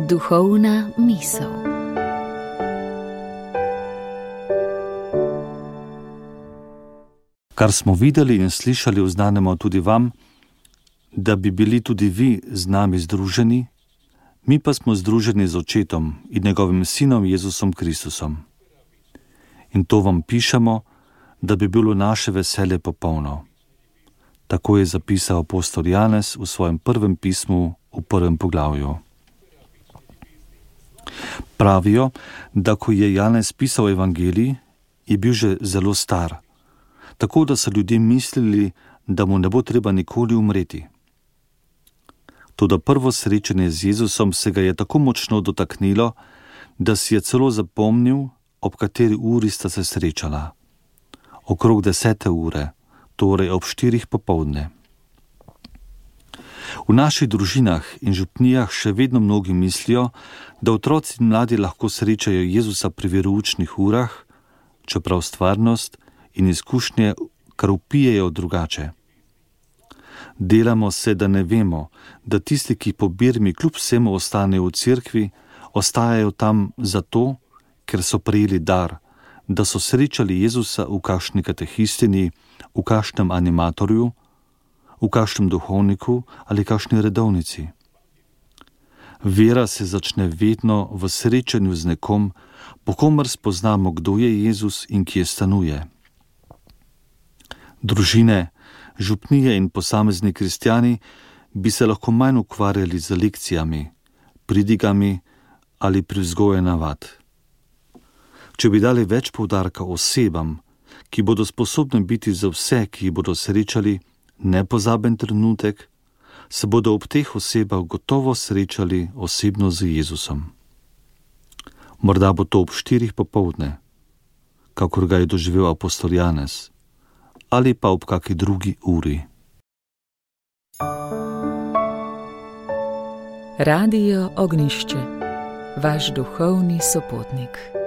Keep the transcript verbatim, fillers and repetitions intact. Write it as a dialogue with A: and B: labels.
A: Duhovna misel.
B: Kar smo videli in slišali, oznanjamo tudi vam, da bi bili tudi vi z nami združeni, mi pa smo združeni z Očetom in njegovim Sinom Jezusom Kristusom. In to vam pišemo, da bi bilo naše veselje popolno. Tako je zapisal apostol Janez v svojem prvem pismu v prvem poglavju. Pravijo, da ko je Janez pisal evangelij, je bil že zelo star, tako da so ljudje mislili, da mu ne bo treba nikoli umreti. Toda prvo srečanje z Jezusom se ga je tako močno dotaknilo, da si je celo zapomnil, ob kateri uri sta se srečala. Okrog desete ure, torej ob štirih popoldne. V naših družinah in župnijah še vedno mnogi mislijo, da otroci in mladi lahko srečajo Jezusa pri veroučnih urah, čeprav stvarnost in izkušnje kar vpijejo drugače. Delamo se, da ne vemo, da tisti, ki po birmi kljub vsemu ostanejo v cerkvi, ostajajo tam zato, ker so prejeli dar, da so srečali Jezusa v kakšni katehistini, v kakšnem animatorju, v kakšnem duhovniku ali kakšni redovnici. Vera se začne vedno v srečanju z nekom, po komer spoznamo, kdo je Jezus in kje stanuje. Družine, župnije in posamezni kristjani bi se lahko manj ukvarjali z lekcijami, pridigami ali privzgoje navad. Če bi dali več poudarka osebam, ki bodo sposobne biti za vse, ki jih bodo srečali, nepozaben trenutek, se bodo ob teh osebah gotovo srečali osebno z Jezusom. Morda bo to ob štirih popoldne, kakor ga je doživel apostol Janez, ali pa ob kaki drugi uri.
A: Radio Ognjišče, vaš duhovni sopotnik.